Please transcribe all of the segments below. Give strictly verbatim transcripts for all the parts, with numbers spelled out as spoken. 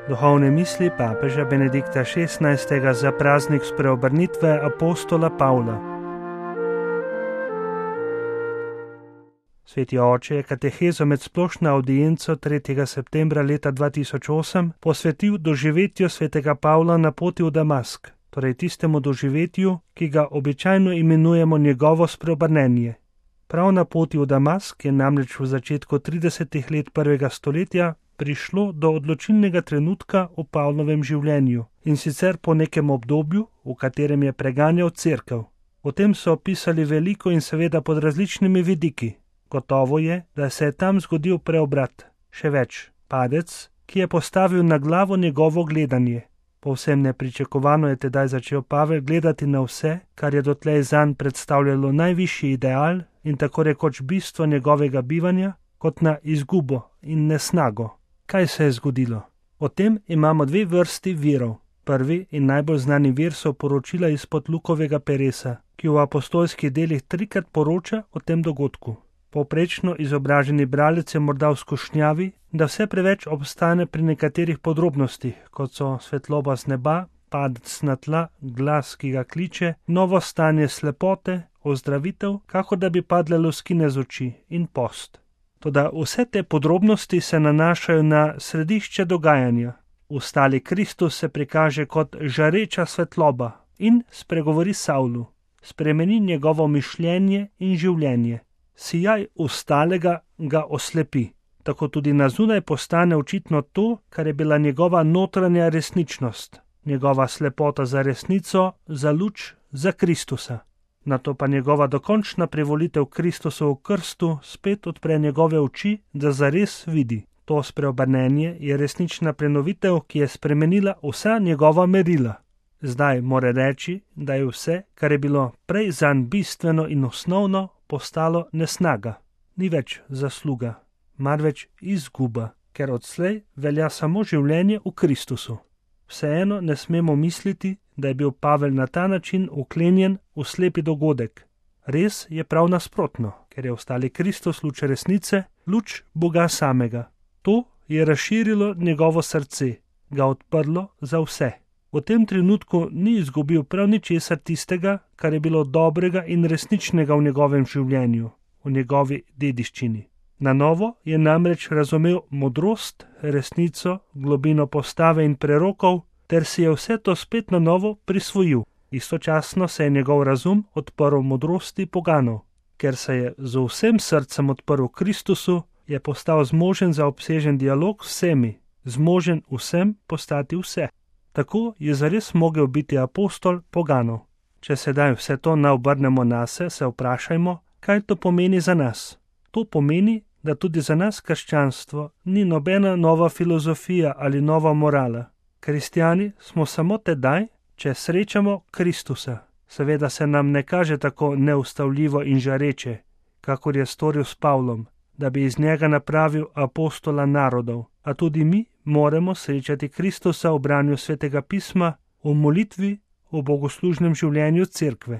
Duhovne misli papeža Benedikta šestnajstega za praznik spreobrnitve apostola Pavla. Sveti oče je katehezo med splošno avdienco tretjega septembra leta dva tisoč osem posvetil doživetju svetega Pavla na poti v Damask, torej tistemu doživetju, ki ga običajno imenujemo njegovo spreobrnenje. Prav na poti v Damask je namreč v začetku tridesetih let prvega stoletja prišlo do odločilnega trenutka v Pavlovem življenju, in sicer po nekem obdobju, v katerem je preganjal cerkev. O tem so opisali veliko in seveda pod različnimi vidiki. Gotovo je, da se je tam zgodil preobrat, še več, padec, ki je postavil na glavo njegovo gledanje. Povsem nepričakovano je tedaj začel Pavel gledati na vse, kar je dotlej zanj predstavljalo najvišji ideal in tako rekoč bistvo njegovega bivanja, kot na izgubo in nesnago. Kaj se je zgodilo? O tem imamo dve vrsti virov. Prvi in najbolj znani vir so poročila izpod Lukovega peresa, ki v apostolskih delih trikrat poroča o tem dogodku. Povprečno izobraženi bralec je morda v skušnjavi, da vse preveč obstane pri nekaterih podrobnostih, kot so svetloba z neba, padec na tla, glas, ki ga kliče, novo stanje slepote, ozdravitev, kakor da bi padle luskine z oči in post. Toda vse te podrobnosti se nanašajo na središče dogajanja. Ustali Kristus se prikaže kot žareča svetloba in spregovori Savlu, spremeni njegovo mišljenje in življenje. Sijaj ustalega ga oslepi. Tako tudi na zunaj postane očitno to, kar je bila njegova notranja resničnost, njegova slepota za resnico, za luč, za Kristusa. Nato pa njegova dokončna privolitev Kristusu v krstu spet odpre njegove oči, da zares vidi. To spreobrnenje je resnična prenovitev, ki je spremenila vsa njegova merila. Zdaj mora reči, da je vse, kar je bilo prej zanj bistveno in osnovno, postalo nesnaga. Ni več zasluga, marveč izguba, ker odslej velja samo življenje v Kristusu. Vseeno ne smemo misliti, da je bil Pavel na ta način uklenjen v slepi dogodek. Res je prav nasprotno, ker je ostali Kristus luč resnice, luč Boga samega. To je razširilo njegovo srce, ga odprlo za vse. V tem trenutku ni izgubil prav ničesar tistega, kar je bilo dobrega in resničnega v njegovem življenju, v njegovi dediščini. Na novo je namreč razumel modrost, resnico, globino postave in prerokov, ter si je vse to spet na novo prisvojil. Istočasno se je njegov razum odprl modrosti poganov. Ker se je z vsem srcem odprl Kristusu, je postal zmožen za obsežen dialog s vsemi, zmožen vsem postati vse. Tako je zares mogel biti apostol poganov. Če sedaj vse to naobrnemo nase, se vprašajmo, kaj to pomeni za nas. To pomeni, da tudi za nas krščanstvo ni nobena nova filozofija ali nova morala. Kristjani smo samo tedaj, če srečamo Kristusa. Seveda se nam ne kaže tako neustavljivo in žareče, kakor je storil s Pavlom, da bi iz njega napravil apostola narodov, a tudi mi moramo srečati Kristusa v branju svetega pisma, v molitvi, v bogoslužnem življenju cerkve.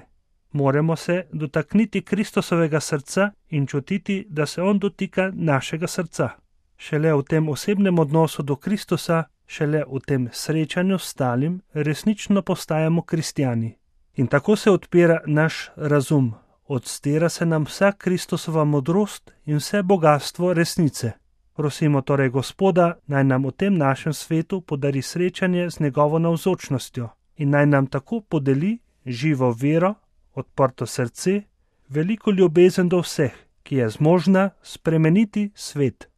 Moramo se dotakniti Kristusovega srca in čutiti, da se on dotika našega srca. Šele v tem osebnem odnosu do Kristusa, šele v tem srečanju s stalim, resnično postajamo kristjani. In tako se odpira naš razum, odstira se nam vsa Kristusova modrost in vse bogastvo resnice. Prosimo torej Gospoda, naj nam v tem našem svetu podari srečanje z njegovo navzočnostjo in naj nam tako podeli živo vero, odprto srce, veliko ljubezen do vseh, ki je zmožna spremeniti svet.